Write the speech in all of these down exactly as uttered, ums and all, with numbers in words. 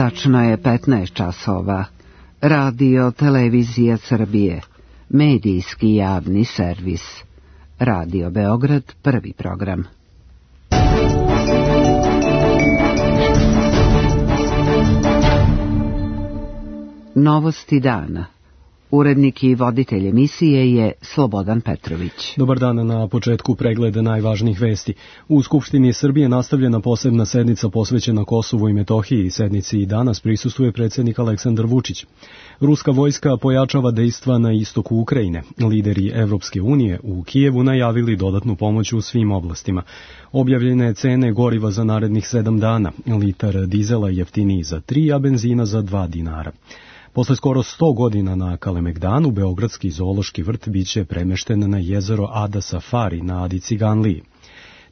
Tačno je petnaest časova. Radio Televizija Srbije. Medijski javni servis. Radio Beograd, prvi program. Novosti dana. Urednik i voditelj emisije je Slobodan Petrović. Dobar dan, na početku pregleda najvažnijih vesti. U Skupštini Srbije nastavljena posebna sednica posvećena Kosovu i Metohiji. Sednici i danas prisustvuje predsjednik Aleksandar Vučić. Ruska vojska pojačava dejstva na istoku Ukrajine. Lideri Evropske unije u Kijevu najavili dodatnu pomoć u svim oblastima. Objavljene cene goriva za narednih sedam dana. Litar dizela jeftiniji za tri, a benzina za dva dinara. Posle skoro sto godina na Kalemegdanu, Beogradski zoološki vrt biće premešten na jezero Ada Safari na Adi Ciganliji.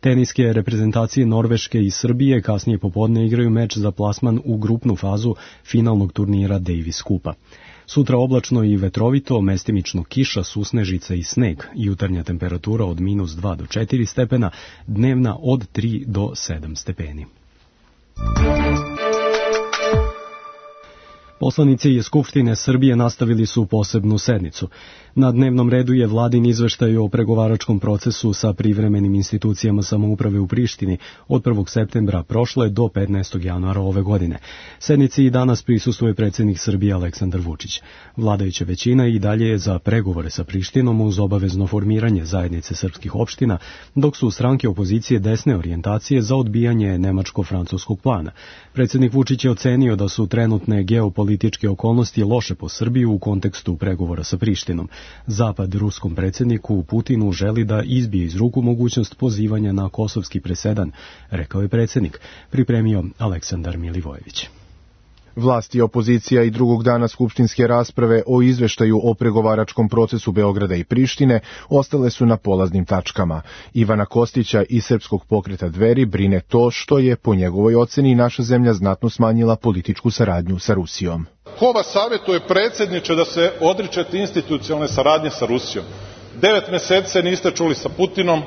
Teniske reprezentacije Norveške i Srbije kasnije popodne igraju meč za plasman u grupnu fazu finalnog turnira Davis Kupa. Sutra oblačno i vetrovito, mestimično kiša, susnežica i sneg, jutarnja temperatura od minus dva do četiri stepena, dnevna od tri do sedam stepeni. Poslanici Skupštine Srbije nastavili su posebnu sednicu. Na dnevnom redu je vladin izveštaj o pregovaračkom procesu sa privremenim institucijama samouprave u Prištini od prvog septembra prošle do petnaestog januara ove godine. Sednici i danas prisustvuje predsjednik Srbije Aleksandar Vučić. Vladajuća većina i dalje je za pregovore sa Prištinom uz obavezno formiranje zajednice srpskih opština, dok su stranke opozicije desne orijentacije za odbijanje nemačko-francuskog plana. Predsjednik Vučić je ocenio da su trenutne geopolitičke okolnosti loše po Srbiju u kontekstu pregovora sa Prištinom. Zapad ruskom predsjedniku Putinu želi da izbije iz ruku mogućnost pozivanja na kosovski presedan, rekao je predsjednik, pripremio Aleksandar Milivojević. Vlast i opozicija i drugog dana skupštinske rasprave o izveštaju o pregovaračkom procesu Beograda i Prištine ostale su na polaznim tačkama. Ivana Kostića iz Srpskog pokreta Dveri brine to što je, po njegovoj oceni, naša zemlja znatno smanjila političku saradnju sa Rusijom. Ko vas savjetuje, predsjedniče, da se odričete institucionalne saradnje sa Rusijom? Devet meseci se niste čuli sa Putinom,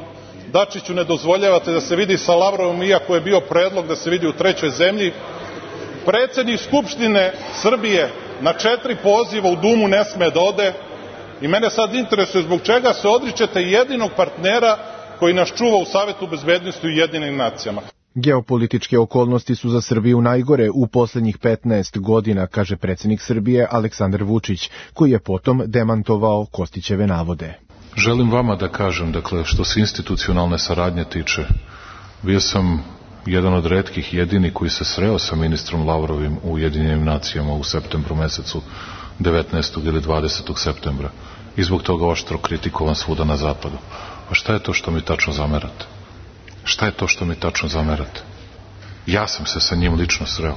Dačiću ne dozvoljavate da se vidi sa Lavrovom, iako je bio predlog da se vidi u trećoj zemlji. Predsjednik Skupštine Srbije na četiri poziva u Dumu ne sme da ode i mene sad interesuje zbog čega se odričete jedinog partnera koji nas čuva u Savetu bezbednosti u Ujedinjenim nacijama. Geopolitičke okolnosti su za Srbiju najgore u posljednjih petnaest godina, kaže predsjednik Srbije Aleksandar Vučić, koji je potom demantovao Kostićeve navode. Želim vama da kažem, dakle, što se institucionalne saradnje tiče, bio sam jedan od retkih jedini koji se sreo sa ministrom Lavrovim u Ujedinjenim nacijama u septembru mesecu, devetnaestog ili dvadesetog septembra. I zbog toga oštro kritikovan svuda na zapadu. A šta je to što mi tačno zamerate? Šta je to što mi tačno zamerate? Ja sam se sa njim lično sreo.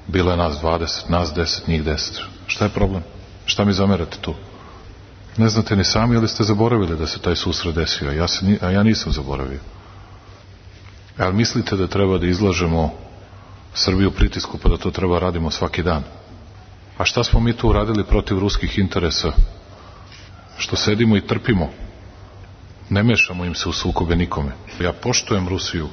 Bilo je nas dvadeset, nas deset, njih deset. Šta je problem? Šta mi zamerate tu? Ne znate ni sami ili ste zaboravili da se taj susret desio, a ja, se, a ja nisam zaboravio. Ali mislite da treba da izlažemo Srbiju pritisku pa da to treba radimo svaki dan? A šta smo mi tu uradili protiv ruskih interesa? Što sedimo i trpimo? Ne mešamo im se u sukobe nikome. Ja poštujem Rusiju,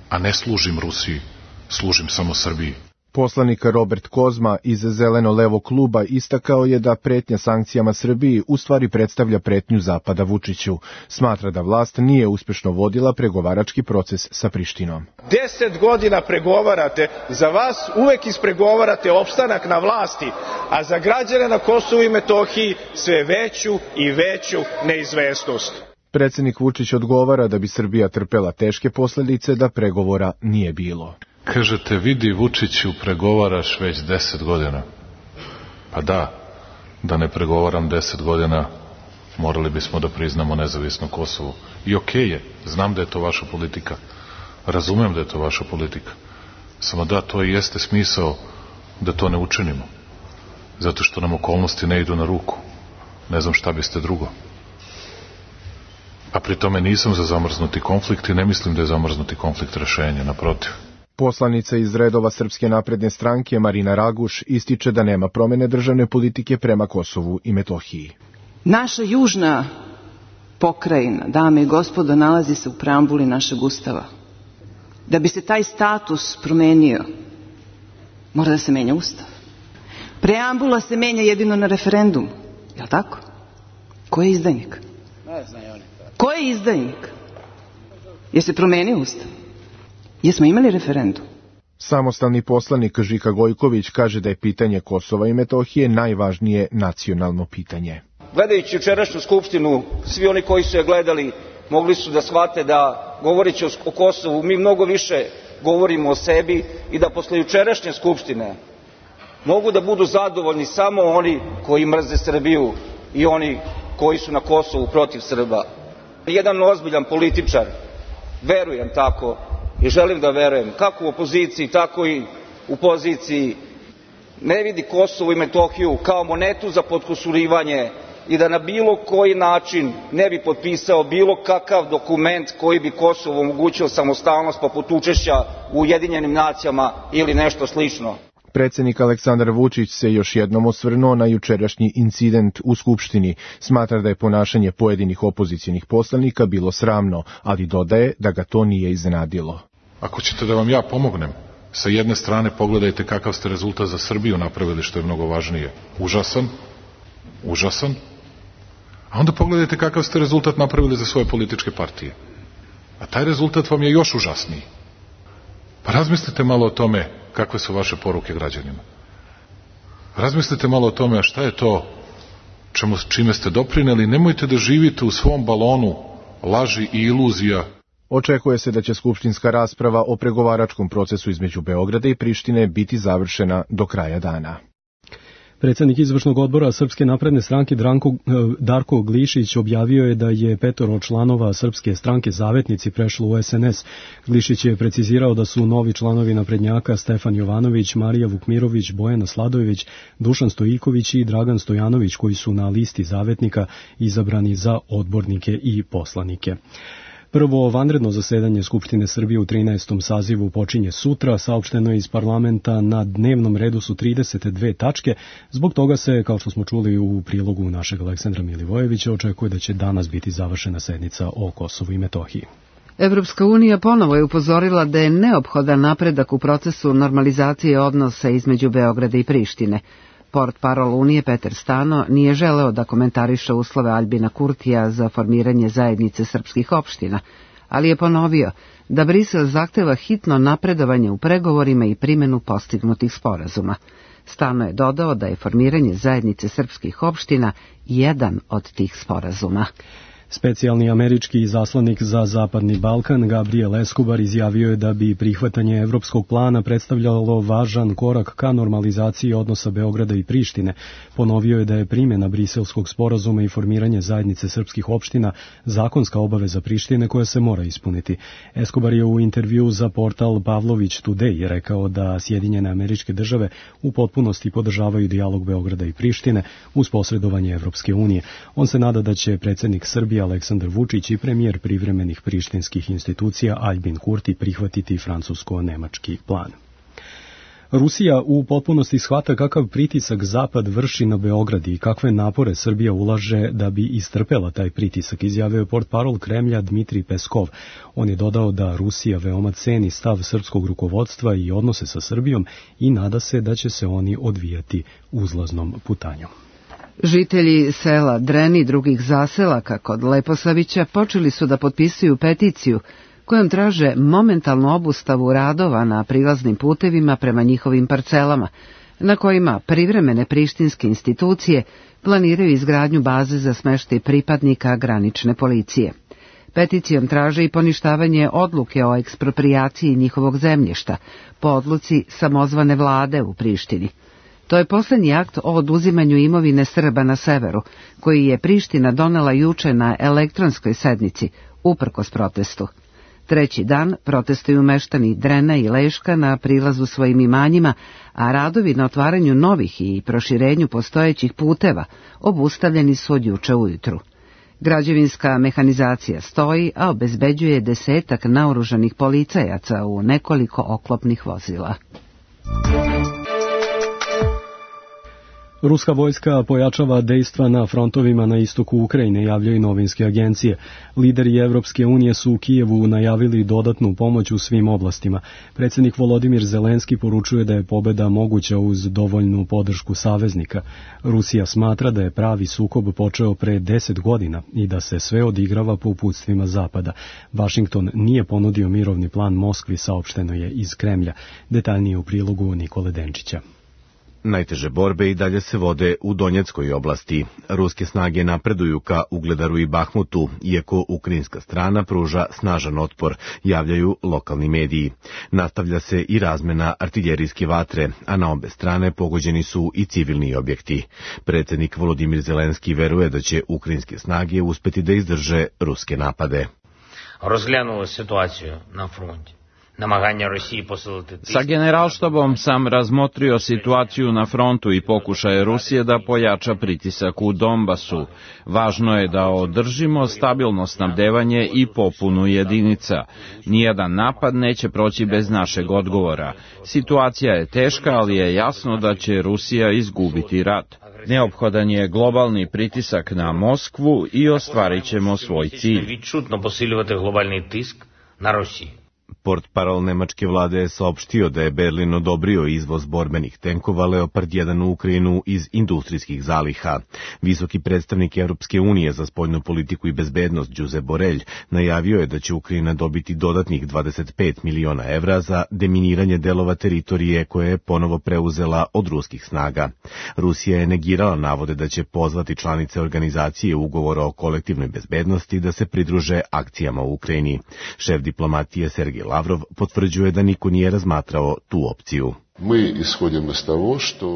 a ne služim Rusiji, služim samo Srbiji. Poslanik Robert Kozma iz Zeleno-levog kluba istakao je da pretnja sankcijama Srbiji u stvari predstavlja pretnju Zapada Vučiću. Smatra da vlast nije uspešno vodila pregovarački proces sa Prištinom. Deset godina pregovarate, za vas uvek ispregovarate opstanak na vlasti, a za građane na Kosovu i Metohiji sve veću i veću neizvesnost. Predsjednik Vučić odgovara da bi Srbija trpela teške posljedice da pregovora nije bilo. Kažete, vidi Vučiću, pregovaraš već deset godina. Pa da, da ne pregovaram deset godina, morali bismo da priznamo nezavisno Kosovo. I okej je, znam da je to vaša politika. Razumem da je to vaša politika. Samo da, to i jeste smisao da to ne učinimo. Zato što nam okolnosti ne idu na ruku. Ne znam šta biste drugo. A pri tome nisam za zamrznuti konflikt i ne mislim da je zamrznuti konflikt rešenje, naprotiv. Poslanica iz redova Srpske napredne stranke Marina Raguš ističe da nema promene državne politike prema Kosovu i Metohiji. Naša južna pokrajina, dame i gospodo, nalazi se u preambuli našeg Ustava. Da bi se taj status promenio, Mora da se menja Ustav. Preambula se menja jedino na referendumu. Je li tako? Ko je izdajnik? Ne znaju oni. Ko je izdajnik? Je se promenio Ustav? Jesmo imali referendum? Samostalni poslanik Žika Gojković kaže da je pitanje Kosova i Metohije najvažnije nacionalno pitanje. Gledajući jučerašnju skupštinu, svi oni koji su je gledali mogli su da shvate da, govoreći o Kosovu, mi mnogo više govorimo o sebi i da posle jučerašnje skupštine mogu da budu zadovoljni samo oni koji mrze Srbiju i oni koji su na Kosovu protiv Srba. Jedan ozbiljan političar, verujem tako i želim da verujem, kako u opoziciji, tako i u poziciji, ne vidi Kosovo i Metohiju kao monetu za potkusurivanje i da na bilo koji način ne bi potpisao bilo kakav dokument koji bi Kosovo omogućio samostalnost poput učešća u Ujedinjenim nacijama ili nešto slično. Predsjednik Aleksandar Vučić se još jednom osvrnuo na jučerašnji incident u Skupštini. Smatra da je ponašanje pojedinih opozicionih poslanika bilo sramno, ali dodaje da ga to nije iznenadilo. Ako ćete da vam ja pomognem, sa jedne strane pogledajte kakav ste rezultat za Srbiju napravili, što je mnogo važnije. Užasan, užasan. A onda pogledajte kakav ste rezultat napravili za svoje političke partije. A taj rezultat vam je još užasniji. Pa razmislite malo o tome kakve su vaše poruke građanima. Razmislite malo o tome šta je to čemu, čime ste doprineli. Nemojte da živite u svom balonu laži i iluzija. Očekuje se da će skupštinska rasprava o pregovaračkom procesu između Beograda i Prištine biti završena do kraja dana. Predsjednik izvršnog odbora Srpske napredne stranke Dranko, Darko Glišić objavio je da je petoro članova Srpske stranke Zavetnici prešlo u es en es. Glišić je precizirao da su novi članovi naprednjaka Stefan Jovanović, Marija Vukmirović, Bojana Sladojević, Dušan Stojiković i Dragan Stojanović, koji su na listi Zavetnika izabrani za odbornike i poslanike. Prvo vanredno zasedanje Skupštine Srbije u trinaestom sazivu počinje sutra. Saopšteno je iz parlamenta, na dnevnom redu su trideset dve tačke. Zbog toga se, kao što smo čuli u prilogu našeg Aleksandra Milivojevića, očekuje da će danas biti završena sednica o Kosovu i Metohiji. Evropska unija ponovo je upozorila da je neophodan napredak u procesu normalizacije odnosa između Beograda i Prištine. Portparol Unije Peter Stano nije želeo da komentariše uslove Aljbina Kurtija za formiranje zajednice srpskih opština, ali je ponovio da Brisel zahteva hitno napredovanje u pregovorima i primjenu postignutih sporazuma. Stano je dodao da je formiranje zajednice srpskih opština jedan od tih sporazuma. Specijalni američki izaslanik za Zapadni Balkan Gabriel Escobar izjavio je da bi prihvatanje evropskog plana predstavljalo važan korak ka normalizaciji odnosa Beograda i Prištine. Ponovio je da je primjena Briselskog sporazuma i formiranje zajednice srpskih opština zakonska obaveza Prištine koja se mora ispuniti. Escobar je u intervju za portal Pavlović Today rekao da Sjedinjene Američke Države u potpunosti podržavaju dijalog Beograda i Prištine uz posredovanje Evropske unije. On se nada da će predsjednik Srbije Aleksandar Vučić i premijer privremenih prištinskih institucija Aljbin Kurti prihvatiti francusko-nemački plan. Rusija u potpunosti shvata kakav pritisak Zapad vrši na Beograd i kakve napore Srbija ulaže da bi istrpela taj pritisak, izjavio je portparol Kremlja Dmitrij Peskov. On je dodao da Rusija veoma ceni stav srpskog rukovodstva i odnose sa Srbijom i nada se da će se oni odvijati uzlaznom putanjom. Žitelji sela Dren i drugih zaselaka kod Leposavića počeli su da potpisuju peticiju kojom traže momentalnu obustavu radova na prilaznim putevima prema njihovim parcelama, na kojima privremene prištinske institucije planiraju izgradnju baze za smeštaj pripadnika granične policije. Peticijom traže i poništavanje odluke o eksproprijaciji njihovog zemljišta po odluci samozvane vlade u Prištini. To je posljednji akt o oduzimanju imovine Srba na severu, koji je Priština donela juče na elektronskoj sednici, uprkos protestu. Treći dan protestuju meštani Drena i Leška na prilazu svojim imanjima, a radovi na otvaranju novih i proširenju postojećih puteva obustavljeni su od juče ujutru. Građevinska mehanizacija stoji, a obezbeđuje desetak naoružanih policajaca u nekoliko oklopnih vozila. Ruska vojska pojačava dejstva na frontovima na istoku Ukrajine, javljaju novinske agencije. Lideri Evropske unije su u Kijevu najavili dodatnu pomoć u svim oblastima. Predsjednik Volodimir Zelenski poručuje da je pobjeda moguća uz dovoljnu podršku saveznika. Rusija smatra da je pravi sukob počeo pre deset godina i da se sve odigrava po uputstvima Zapada. Washington nije ponudio mirovni plan Moskvi, saopšteno je iz Kremlja. Detaljnije u prilogu Nikole Denčića. Najteže borbe i dalje se vode u Donjeckoj oblasti. Ruske snage napreduju ka Ugledaru i Bahmutu, iako ukrajinska strana pruža snažan otpor, javljaju lokalni mediji. Nastavlja se i razmena artiljerijske vatre, a na obe strane pogođeni su i civilni objekti. Predsjednik Volodimir Zelenski veruje da će ukrajinske snage uspeti da izdrže ruske napade. Rozgledala situaciju na fronti. Sa generalštabom sam razmotrio situaciju na frontu i pokušaje Rusije da pojača pritisak u Donbasu. Važno je da održimo stabilno snabdevanje i popunu jedinica. Nijedan napad neće proći bez našeg odgovora. Situacija je teška, ali je jasno da će Rusija izgubiti rat. Neophodan je globalni pritisak na Moskvu i ostvarit ćemo svoj cilj. Відчутно посилювати глобальний тиск на Росію. Portparol nemačke vlade je saopštio da je Berlin odobrio izvoz borbenih tenkova Leopard jedan u Ukrajinu iz industrijskih zaliha. Visoki predstavnik Evropske unije za spoljnu politiku i bezbednost Josep Borrell najavio je da će Ukrajina dobiti dodatnih dvadeset pet miliona evra za deminiranje delova teritorije koje je ponovo preuzela od ruskih snaga. Rusija je negirala navode da će pozvati članice organizacije ugovora o kolektivnoj bezbednosti da se pridruže akcijama u Ukrajini. Šef diplomatije Sergej Lavrov potvrđuje da niko nije razmatrao tu opciju.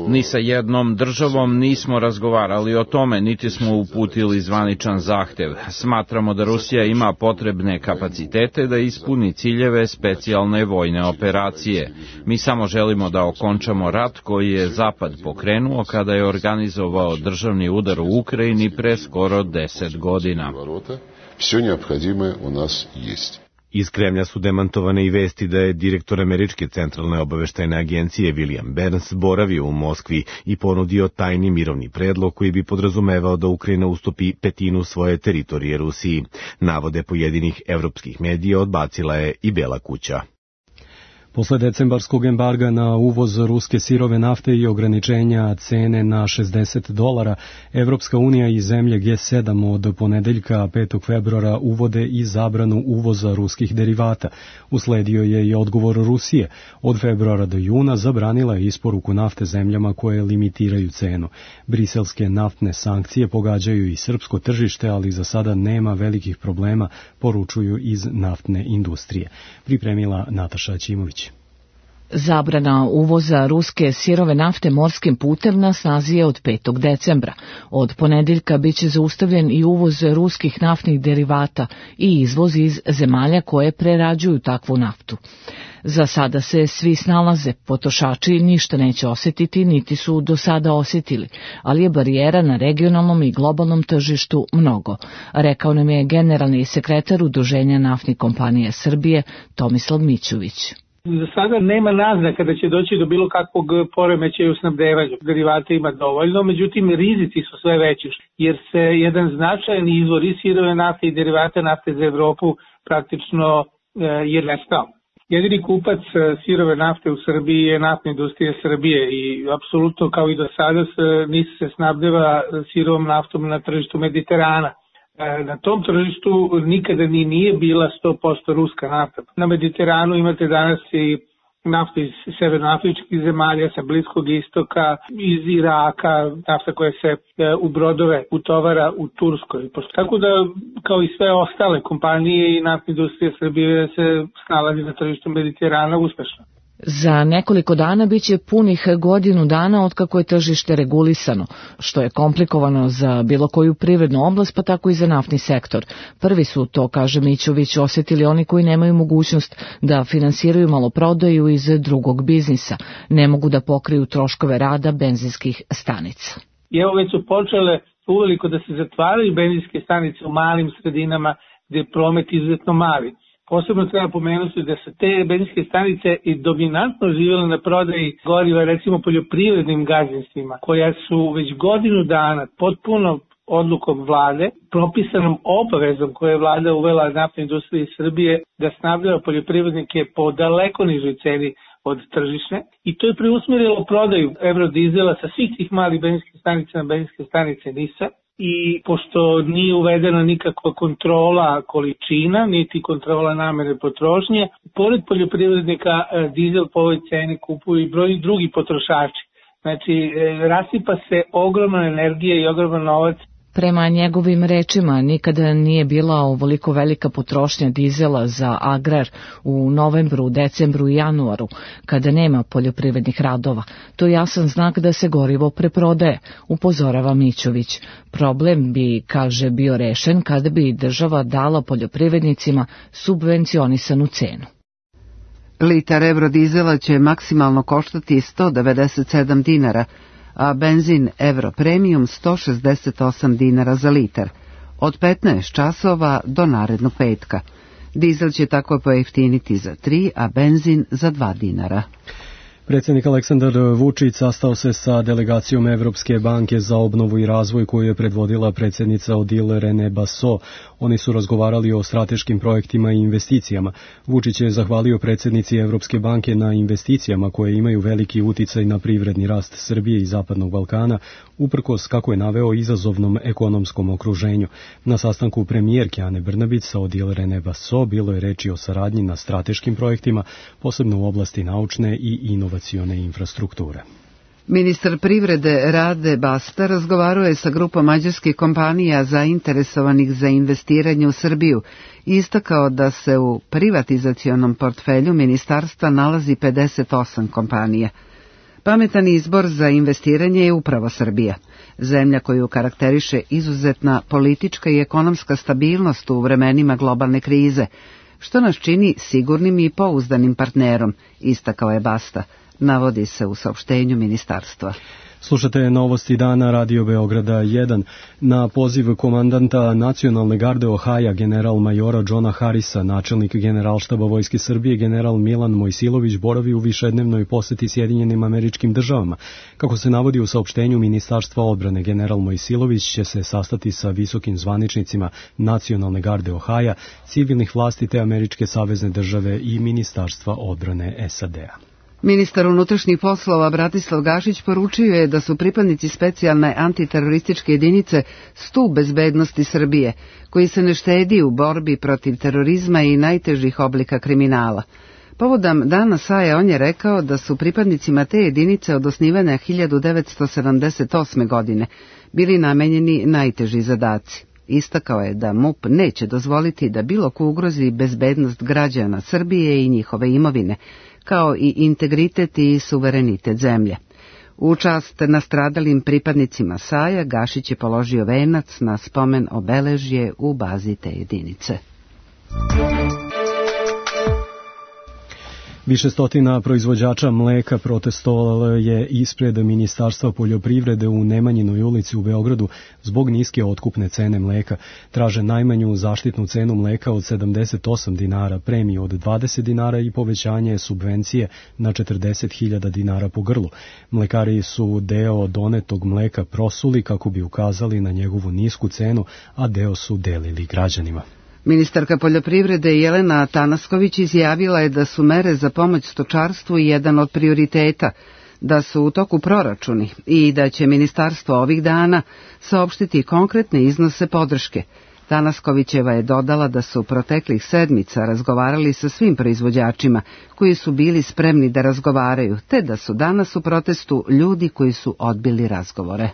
Ni sa jednom državom nismo razgovarali o tome, niti smo uputili zvaničan zahtev. Smatramo da Rusija ima potrebne kapacitete da ispuni ciljeve specijalne vojne operacije. Mi samo želimo da okončamo rat koji je Zapad pokrenuo kada je organizovao državni udar u Ukrajini pre skoro deset godina. Sve neophodimo u nas jest. Iz Kremlja su demantovane i vesti da je direktor Američke centralne obaveštajne agencije William Burns boravio u Moskvi i ponudio tajni mirovni predlog koji bi podrazumevao da Ukrajina ustupi petinu svoje teritorije Rusiji. Navode pojedinih evropskih medija odbacila je i Bela kuća. Posle decembarskog embarga na uvoz ruske sirove nafte i ograničenja cene na šezdeset dolara, Evropska unija i zemlje G sedam od ponedeljka petog februara uvode i zabranu uvoza ruskih derivata. Usledio je i odgovor Rusije. Od februara do juna zabranila je isporuku nafte zemljama koje limitiraju cenu. Briselske naftne sankcije pogađaju i srpsko tržište, ali za sada nema velikih problema, poručuju iz naftne industrije. Pripremila Nataša Ćimović. Zabrana uvoza ruske sirove nafte morskim putem na snazi je od petog decembra. Od ponedeljka biće zaustavljen i uvoz ruskih naftnih derivata i izvoz iz zemalja koje prerađuju takvu naftu. Za sada se svi snalaze, potrošači ništa neće osjetiti, niti su do sada osjetili, ali je barijera na regionalnom i globalnom tržištu mnogo, rekao nam je generalni sekretar Udruženja naftnih kompanija Srbije Tomislav Mićović. Za sada nema naznaka da će doći do bilo kakvog poremećaja u snabdevanju. Derivata ima dovoljno, međutim rizici su sve veći, jer se jedan značajan izvor i sirove nafte i derivata nafte za Evropu praktično je nestao. Jedini kupac sirove nafte u Srbiji je naftna industrija Srbije i apsolutno kao i do sada NIS se snabdeva sirovom naftom na tržištu Mediterana. Na tom tržištu nikada ni nije bila sto posto ruska nafta. Na Mediteranu imate danas i naftu iz severnoafričkih zemalja, sa Bliskog istoka, iz Iraka, nafta koja se u brodove utovara u Turskoj. Tako da, kao i sve ostale kompanije i naftna industrija Srbije se snalazi na tržištu Mediterana uspešno. Za nekoliko dana biće punih godinu dana otkako je tržište regulisano, što je komplikovano za bilo koju privrednu oblast, pa tako i za naftni sektor. Prvi su to, kaže Mićović, osjetili oni koji nemaju mogućnost da finansiraju maloprodaju iz drugog biznisa, ne mogu da pokriju troškove rada benzinskih stanica. I evo već su počele uveliko da se zatvaraju benzinske stanice u malim sredinama gde je promet izuzetno mali. Posebno treba pomenuti da su te benzinske stanice i dominantno živjele na prodaji goriva, recimo poljoprivrednim gazdinstvima, koja su već godinu dana potpuno odlukom vlade, propisanom obavezom koje je vlada uvela naftnoj industriji Srbije da snabdeva poljoprivrednike po daleko nižoj ceni od tržišne, i to je preusmjerilo prodaju evrodizela sa svih tih malih benzinskih stanica na benzinske stanice NIS-a. I pošto nije uvedena nikakva kontrola količina, niti kontrola namere potrošnje, pored poljoprivrednika dizel po ovoj ceni kupuju i brojni drugi potrošači. Znači, rasipa se ogromna energija i ogroman novac. Prema njegovim rečima, nikada nije bila ovoliko velika potrošnja dizela za agrar u novembru, decembru i januaru, kada nema poljoprivrednih radova. To je jasan znak da se gorivo preprodaje, upozorava Mićović. Problem bi, kaže, bio rešen kada bi država dala poljoprivrednicima subvencionisanu cenu. Litar evrodizela će maksimalno koštati sto devedeset sedam dinara, a benzin Euro Premium sto šezdeset osam dinara za litar, od petnaest časova do narednog petka. Dizel će tako pojeftiniti za tri, a benzin za dva dinara. Predsjednik Aleksandar Vučić sastao se sa delegacijom Evropske banke za obnovu i razvoj koju je predvodila predsjednica Odile Rene Basso. Oni su razgovarali o strateškim projektima i investicijama. Vučić je zahvalio predsjednici Evropske banke na investicijama koje imaju veliki uticaj na privredni rast Srbije i Zapadnog Balkana, uprkos, kako je naveo, izazovnom ekonomskom okruženju. Na sastanku premijerke Ane Brnabić sa Odile Rene Basso bilo je reči o saradnji na strateškim projektima, posebno u oblasti naučne i inovacione infrastrukture. Ministar privrede Rade Basta razgovarao je sa grupom mađarskih kompanija zainteresovanih za investiranje u Srbiju i istakao da se u privatizacionom portfelju ministarstva nalazi pedeset osam kompanija. Pametan izbor za investiranje je upravo Srbija, zemlja koju karakteriše izuzetna politička i ekonomska stabilnost u vremenima globalne krize, što nas čini sigurnim i pouzdanim partnerom, istakao je Basta, navodi se u saopštenju ministarstva. Slušate novosti dana Radio Beograda jedan. Na poziv komandanta Nacionalne garde Ohaja, general majora Johna Harrisa, načelnik generalštaba Vojske Srbije, general Milan Mojsilović boravi u višednevnoj poseti Sjedinjenim Američkim Državama. Kako se navodi u saopštenju Ministarstva odbrane, general Mojsilović će se sastati sa visokim zvaničnicima Nacionalne garde Ohaja, civilnih vlasti te Američke savezne države i Ministarstva odbrane S A D-a. Ministar unutrašnjih poslova Bratislav Gašić poručio je da su pripadnici specijalne antiterorističke jedinice stup bezbednosti Srbije, koji se ne štedi u borbi protiv terorizma i najtežih oblika kriminala. Povodom Dana Saje on je rekao da su pripadnicima te jedinice od osnivanja hiljadu devetsto sedamdeset osme. godine bili namenjeni najteži zadaci. Istakao je da M U P neće dozvoliti da bilo ko ugrozi bezbednost građana Srbije i njihove imovine, kao i integritet i suverenitet zemlje. U čast nastradalim pripadnicima Saja, Gašić je položio venac na spomen obeležje u bazi te jedinice. Više stotina proizvođača mleka protestovalo je ispred Ministarstva poljoprivrede u Nemanjinoj ulici u Beogradu zbog niske otkupne cene mleka. Traže najmanju zaštitnu cenu mleka od sedamdeset osam dinara, premiju od dvadeset dinara i povećanje subvencije na četrdeset hiljada dinara po grlu. Mlekari su deo donetog mleka prosuli kako bi ukazali na njegovu nisku cenu, a deo su delili građanima. Ministarka poljoprivrede Jelena Tanasković izjavila je da su mere za pomoć stočarstvu jedan od prioriteta, da su u toku proračuni i da će ministarstvo ovih dana saopštiti konkretne iznose podrške. Tanaskovićeva je dodala da su proteklih sedmica razgovarali sa svim proizvođačima koji su bili spremni da razgovaraju, te da su danas u protestu ljudi koji su odbili razgovore.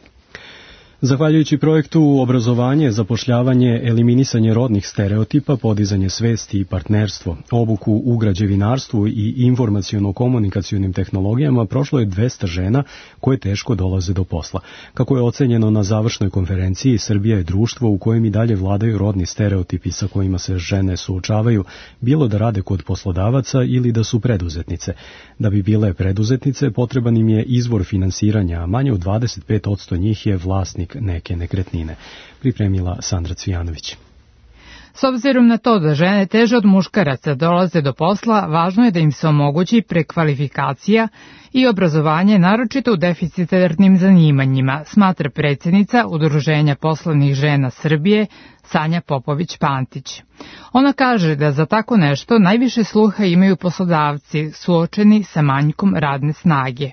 Zahvaljujući projektu obrazovanje, zapošljavanje, eliminisanje rodnih stereotipa, podizanje svesti i partnerstvo, obuku u građevinarstvu i informaciono-komunikacionim tehnologijama prošlo je dvesta žena koje teško dolaze do posla. Kako je ocenjeno na završnoj konferenciji, Srbija je društvo u kojem i dalje vladaju rodni stereotipi sa kojima se žene suočavaju, bilo da rade kod poslodavaca ili da su preduzetnice. Da bi bile preduzetnice, potreban im je izvor finansiranja, a manje od dvadeset pet posto njih je vlasnik neke nekretnine. Pripremila Sandra Cvijanović. S obzirom na to da žene teže od muškaraca dolaze do posla, važno je da im se omogući prekvalifikacija i obrazovanje naročito u deficitarnim zanimanjima, smatra predsjednica Udruženja poslovnih žena Srbije Sanja Popović-Pantić. Ona kaže da za tako nešto najviše sluha imaju poslodavci suočeni sa manjkom radne snage.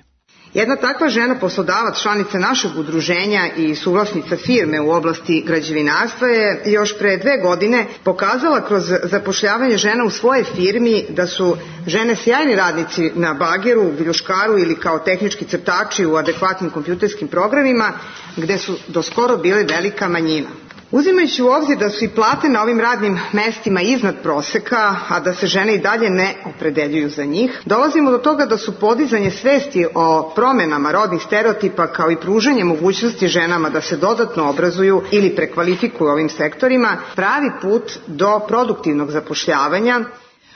Jedna takva žena poslodavac, članica našeg udruženja i suvlasnica firme u oblasti građevinarstva je još pre dve godine pokazala kroz zapošljavanje žena u svoje firmi da su žene sjajni radnici na bageru, viljuškaru ili kao tehnički crtači u adekvatnim kompjuterskim programima gde su do skoro bile velika manjina. Uzimajući u obzir da su i plate na ovim radnim mestima iznad proseka, a da se žene i dalje ne opredeljuju za njih, dolazimo do toga da su podizanje svesti o promenama rodnih stereotipa kao i pružanje mogućnosti ženama da se dodatno obrazuju ili prekvalifikuju ovim sektorima pravi put do produktivnog zapošljavanja.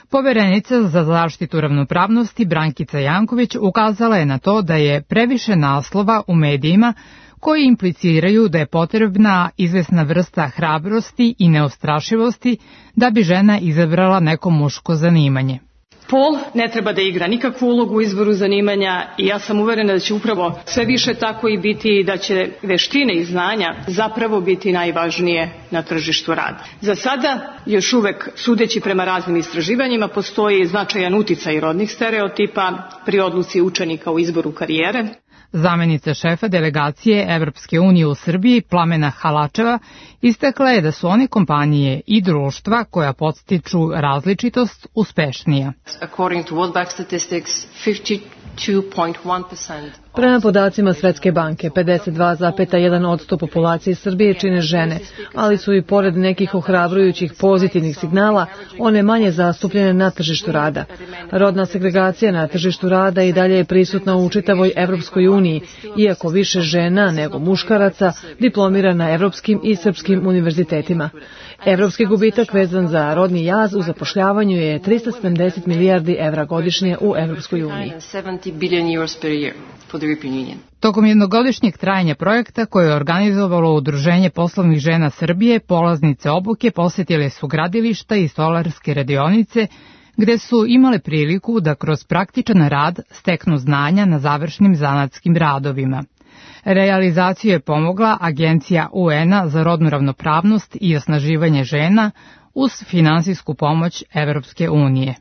Poverenica za zaštitu ravnopravnosti Brankica Janković ukazala je na to da je previše naslova u medijima koji impliciraju da je potrebna izvesna vrsta hrabrosti i neustrašivosti da bi žena izabrala neko muško zanimanje. Pol ne treba da igra nikakvu ulogu u izboru zanimanja i ja sam uverena da će upravo sve više tako i biti i da će veštine i znanja zapravo biti najvažnije na tržištu rada. Za sada, još uvek, sudeći prema raznim istraživanjima, postoji značajan uticaj rodnih stereotipa pri odluci učenika u izboru karijere. Zamenica šefa delegacije Evropske unije u Srbiji, Plamena Halačeva, istakla je da su one kompanije i društva koja podstiču različitost uspešnija. According to World Bank statistics, fifty-two point one percent. Prema podacima Svetske banke, pedeset dva zarez jedan posto populacije Srbije čine žene, ali su i pored nekih ohrabrujućih pozitivnih signala, one manje zastupljene na tržištu rada. Rodna segregacija na tržištu rada i dalje je prisutna u čitavoj Evropskoj uniji, iako više žena nego muškaraca diplomira na evropskim i srpskim univerzitetima. Evropski gubitak vezan za rodni jaz u zapošljavanju je trista sedamdeset milijardi evra godišnje u Evropskoj uniji. Tokom jednogodišnjeg trajanja projekta koje je organizovalo Udruženje poslovnih žena Srbije, polaznice obuke posjetile su gradilišta i stolarske radionice, gde su imale priliku da kroz praktičan rad steknu znanja na završnim zanatskim radovima. Realizaciju je pomogla Agencija U N-a za rodnu ravnopravnost i osnaživanje žena uz finansijsku pomoć Evropske unije.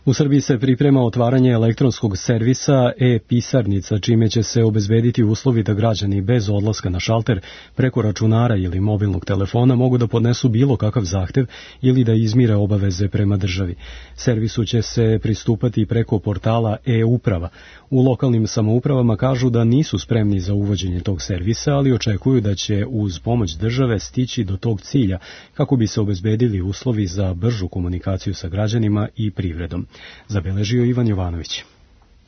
U Srbiji se priprema otvaranje elektronskog servisa e-pisarnica, čime će se obezbediti uslovi da građani bez odlaska na šalter preko računara ili mobilnog telefona mogu da podnesu bilo kakav zahtev ili da izmire obaveze prema državi. Servisu će se pristupati preko portala e-uprava. U lokalnim samoupravama kažu da nisu spremni za uvođenje tog servisa, ali očekuju da će uz pomoć države stići do tog cilja kako bi se obezbedili uslovi za bržu komunikaciju sa građanima i privredom. Zabeležio Ivan Jovanović.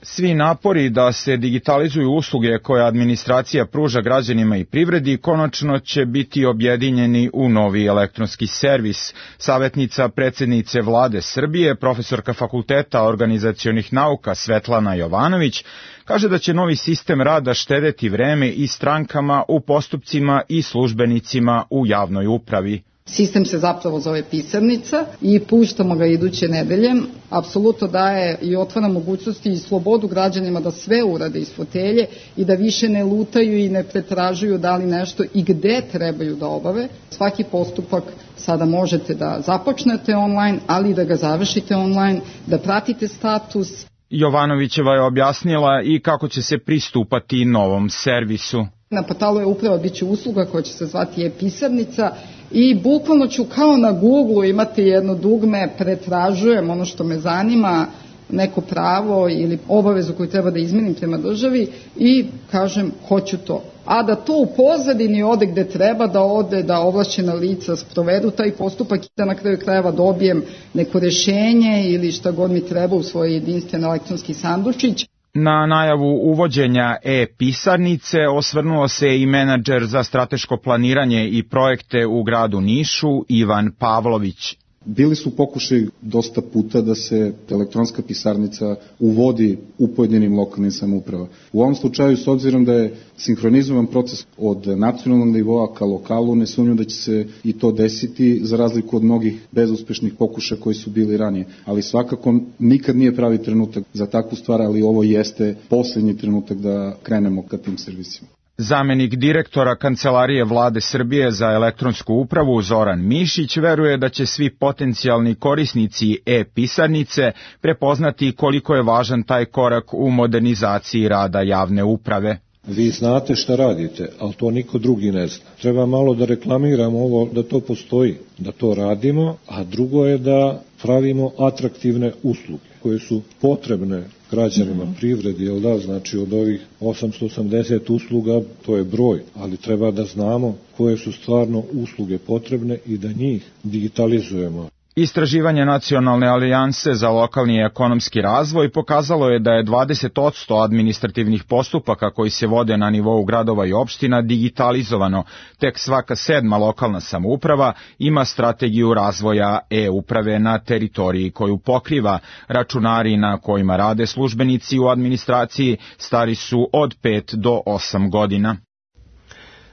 Svi napori da se digitalizuju usluge koje administracija pruža građanima i privredi konačno će biti objedinjeni u novi elektronski servis. Savjetnica predsjednice Vlade Srbije, profesorka Fakulteta organizacionih nauka Svetlana Jovanović, kaže da će novi sistem rada štedeti vreme i strankama u postupcima i službenicima u javnoj upravi. Sistem se zapravo zove pisarnica i puštamo ga iduće nedelje. Apsolutno daje i otvara mogućnosti i slobodu građanima da sve urade iz fotelje i da više ne lutaju i ne pretražuju da li nešto i gde trebaju da obave. Svaki postupak sada možete da započnete online, ali i da ga završite online, da pratite status. Jovanovićeva je objasnila i kako će se pristupati novom servisu. Na portalu je upravo bit će usluga koja će se zvati e-pisarnica i bukvalno ću kao na Google imati jedno dugme, pretražujem ono što me zanima, neko pravo ili obavezu koju treba da izmenim prema državi i kažem hoću to. A da to u pozadini ode gde treba da ode, da ovlašćena lica sprovedu taj postupak i da na kraju krajeva dobijem neko rešenje ili šta god mi treba u svoj jedinstven elektronski sandučić. Na najavu uvođenja e-pisarnice osvrnuo se i menadžer za strateško planiranje i projekte u gradu Nišu Ivan Pavlović. Bili su pokušaj dosta puta da se elektronska pisarnica uvodi u pojedinim lokalnim samouprava. U ovom slučaju, s obzirom da je sinhronizovan proces od nacionalnog nivoa ka lokalu, ne sumnjam da će se i to desiti, za razliku od mnogih bezuspešnih pokušaja koji su bili ranije. Ali svakako nikad nije pravi trenutak za takvu stvar, ali ovo jeste poslednji trenutak da krenemo ka tim servisima. Zamenik direktora Kancelarije Vlade Srbije za elektronsku upravu Zoran Mišić veruje da će svi potencijalni korisnici e-pisarnice prepoznati koliko je važan taj korak u modernizaciji rada javne uprave. Vi znate šta radite, ali to niko drugi ne zna. Treba malo da reklamiramo ovo, da to postoji, da to radimo, a drugo je da pravimo atraktivne usluge koje su potrebne građanima, privredi, jel da, znači od ovih osamsto osamdeset usluga, to je broj, ali treba da znamo koje su stvarno usluge potrebne i da njih digitalizujemo. Istraživanje Nacionalne alijanse za lokalni i ekonomski razvoj pokazalo je da je dvadeset posto administrativnih postupaka koji se vode na nivou gradova i opština digitalizovano. Tek svaka sedma lokalna samouprava ima strategiju razvoja e-uprave na teritoriji koju pokriva. Računari na kojima rade službenici u administraciji stari su od pet do osam godina.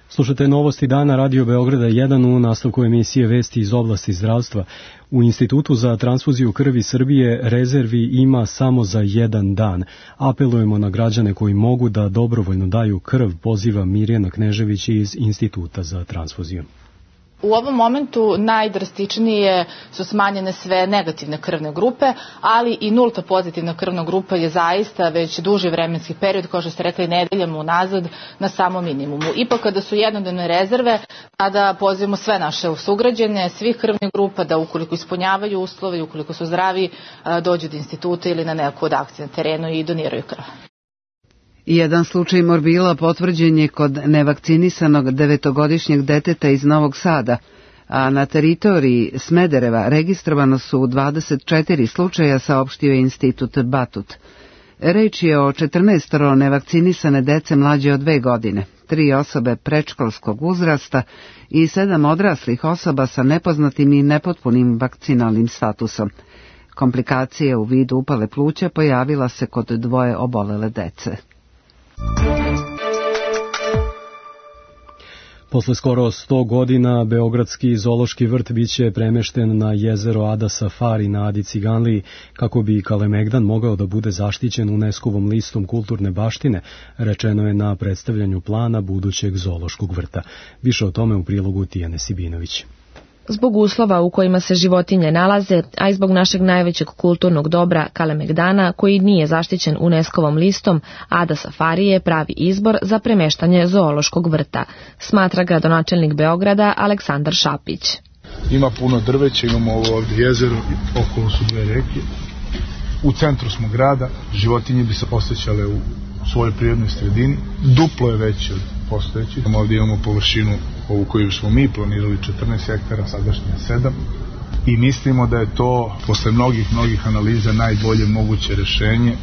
Slušate novosti dana Radio Beograda jedan u nastavku emisije Vesti iz oblasti zdravstva. U Institutu za transfuziju krvi Srbije rezervi ima samo za jedan dan. Apelujemo na građane koji mogu da dobrovoljno daju krv, poziva Mirjana Knežević iz Instituta za transfuziju. U ovom momentu najdrastičnije su smanjene sve negativne krvne grupe, ali i nulta pozitivna krvna grupa je zaista već duži vremenski period, kao što ste rekli, nedeljama unazad na samom minimumu. Ipak kada su jednodnevne rezerve, tada pozivamo sve naše sugrađane, svih krvnih grupa da ukoliko ispunjavaju uslove i ukoliko su zdravi, dođu do instituta ili na neku od akcije na terenu i doniraju krv. Jedan slučaj morbila potvrđen je kod nevakcinisanog devetogodišnjeg deteta iz Novog Sada, a na teritoriji Smedereva registrovano su dvadeset četiri slučaja, saopštio je Institut Batut. Reč je o četrnaestoro nevakcinisane dece mlađe od dve godine, tri osobe predškolskog uzrasta i sedam odraslih osoba sa nepoznatim i nepotpunim vakcinalnim statusom. Komplikacije u vidu upale pluća pojavila se kod dvoje obolele dece. Posle skoro sto godina Beogradski zoološki vrt biće premešten na jezero Ada Safari na Adi Ciganliji kako bi Kalemegdan mogao da bude zaštićen UNESCO-vom listom kulturne baštine, rečeno je na predstavljanju plana budućeg zoološkog vrta. Više o tome u prilogu Tijane Sibinović. Zbog uslova u kojima se životinje nalaze, a i zbog našeg najvećeg kulturnog dobra Kalemegdana, koji nije zaštićen UNESCO-vom listom, Ada Safari je pravi izbor za premeštanje zoološkog vrta, smatra gradonačelnik Beograda Aleksandar Šapić. Ima puno drveća, imamo ovo ovdje jezero, okolo su dve reke. U centru smo grada, životinje bi se osjećale u svojoj prirodnoj sredini, duplo je veće od postojećih. Ovdje imamo površinu ovu koju smo mi planirali četrnaest hektara, sadašnje sedam. I mislimo da je to, posle mnogih, mnogih analiza, najbolje moguće rešenje.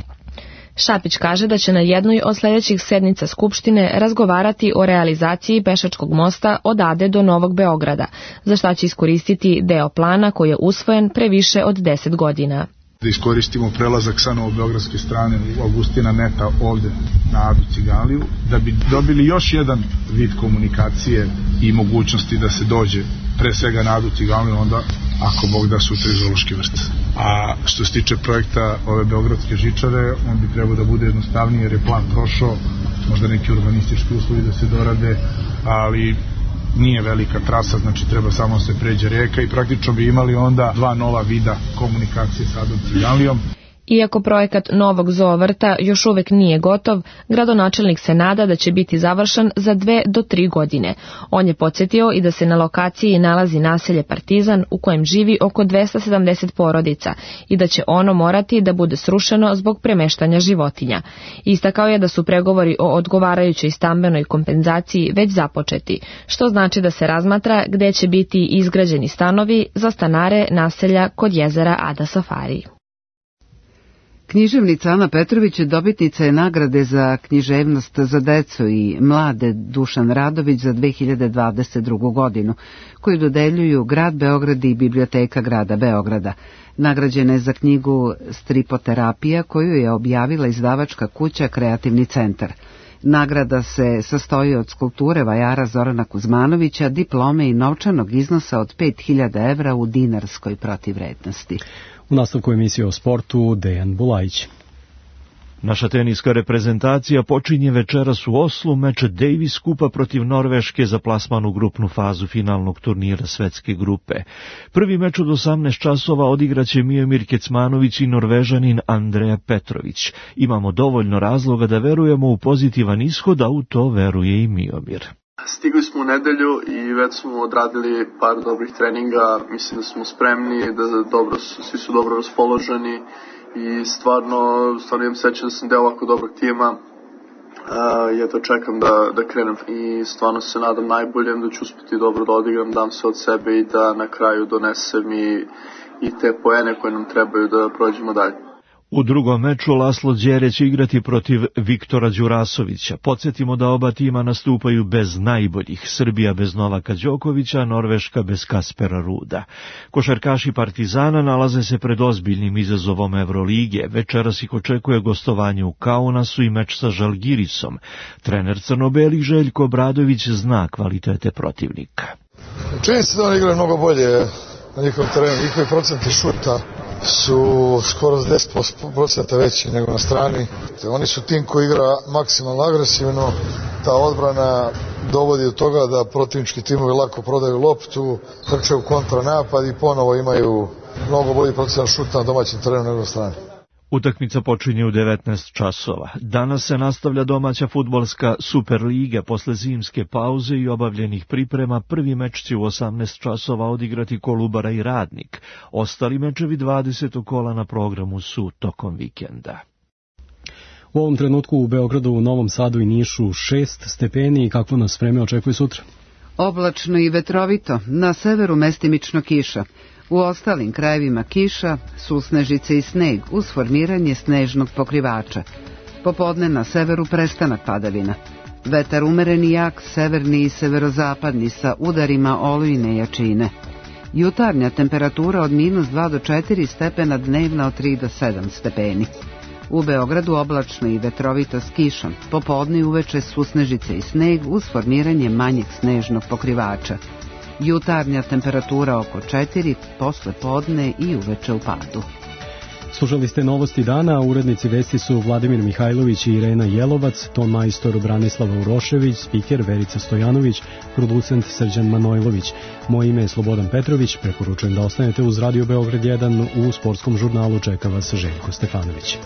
Šapić kaže da će na jednoj od sljedećih sednica Skupštine razgovarati o realizaciji pešačkog mosta od Ade do Novog Beograda, za šta će iskoristiti deo plana koji je usvojen pre više od deset godina. Da iskoristimo prelazak sa novobeogradske strane Augustina Neta ovde na Adu Ciganliju, da bi dobili još jedan vid komunikacije i mogućnosti da se dođe pre svega na Adu Ciganliju, onda ako Bog da sutra i zoološki vrt. A što se tiče projekta ove beogradske žičare, on bi trebao da bude jednostavniji jer je plan prošao, možda neki urbanistički uslovi da se dorade, ali nije velika trasa, znači treba samo se pređe reka i praktično bi imali onda dva nova vida komunikacije sa Adom Ciganlijom. Iako projekat novog zoovrta još uvek nije gotov, gradonačelnik se nada da će biti završen za dve do tri godine. On je podsjetio i da se na lokaciji nalazi naselje Partizan u kojem živi oko dvesta sedamdeset porodica i da će ono morati da bude srušeno zbog premeštanja životinja. Istakao je da su pregovori o odgovarajućoj stambenoj kompenzaciji već započeti, što znači da se razmatra gde će biti izgrađeni stanovi za stanare naselja kod jezera Ada Safari. Književnica Ana Petrović dobitnica je nagrade za književnost za decu i mlade Dušan Radović za dve hiljade dvadeset drugu. godinu, koju dodeljuju Grad Beograd i Biblioteka Grada Beograda. Nagrađena je za knjigu Stripoterapija koju je objavila izdavačka kuća Kreativni centar. Nagrada se sastoji od skulpture vajara Zorana Kuzmanovića, diplome i novčanog iznosa od pet hiljada evra u dinarskoj protivvrednosti. U nastavku emisije o sportu Dejan Bulajić. Naša teniska reprezentacija počinje večeras u Oslu meč Davis Kupa protiv Norveške za plasman u grupnu fazu finalnog turnira svetske grupe. Prvi meč od osamnaest časova odigraće Miomir Kecmanović i Norvežanin Andreja Petrović. Imamo dovoljno razloga da verujemo u pozitivan ishod, a u to veruje i Miomir. Stigli smo u nedelju i već smo odradili par dobrih treninga, mislim da smo spremni, da dobro, svi su dobro raspoloženi i stvarno, stvarno imam srećan da sam deo ovako dobrog tima. Uh, ja to čekam da, da krenem i stvarno se nadam najboljem da ću uspjeti dobro da odigram, dam se od sebe i da na kraju donesem i, i te poene koje nam trebaju da prođemo dalje. U drugom meču Laslo Đere će igrati protiv Viktora Đurasovića. Podsjetimo da oba tima nastupaju bez najboljih. Srbija bez Novaka Đokovića, Norveška bez Kaspera Ruda. Košarkaši Partizana nalaze se pred ozbiljnim izazovom Evrolige. Večeras ih očekuje gostovanje u Kaunasu i meč sa Žalgirisom. Trener crno-belih Željko Obradović zna kvalitete protivnika. Čini se da oni igraju mnogo bolje na njihovom terenu. Njihovi procenti šuta su skoro s deset posto veći nego na strani. Oni su tim koji igra maksimalno agresivno, ta odbrana dovodi do toga da protivnički timovi lako prodaju loptu, trče u kontranapad i ponovo imaju mnogo bolji procenat šuta na domaćem terenu nego na strani. Utakmica počinje u devetnaest časova. Danas se nastavlja domaća fudbalska Superliga. Posle zimske pauze i obavljenih priprema prvi meč će u osamnaest časova odigrati Kolubara i Radnik. Ostali mečevi dvadesetog kola na programu su tokom vikenda. U ovom trenutku u Beogradu, u Novom Sadu i Nišu šest stepeni. Kakvo nas vreme očekuje sutra? Oblačno i vetrovito, na severu mestimično kiša. U ostalim krajevima kiša, susnežice i sneg uz formiranje snežnog pokrivača. Popodne na severu prestanak padavina. Vetar umeren i jak, severni i severozapadni sa udarima olujne jačine. Jutarnja temperatura od minus dva do četiri stepena, dnevna od tri do sedam stepeni. U Beogradu oblačno i vetrovito s kišom, popodne i uveče susnežice i sneg uz formiranje manjeg snežnog pokrivača. Jutarnja temperatura oko četiri, posle podne i uveče u padu. Slušali ste novosti dana, urednici vesti su Vladimir Mihajlović i Irena Jelovac, ton majstor Branislava Urošević, spiker Verica Stojanović, producent Srđan Manojlović. Moje ime je Slobodan Petrović, preporučujem da ostanete uz Radio Beograd jedan, u sportskom žurnalu čeka vas Željko Stefanović.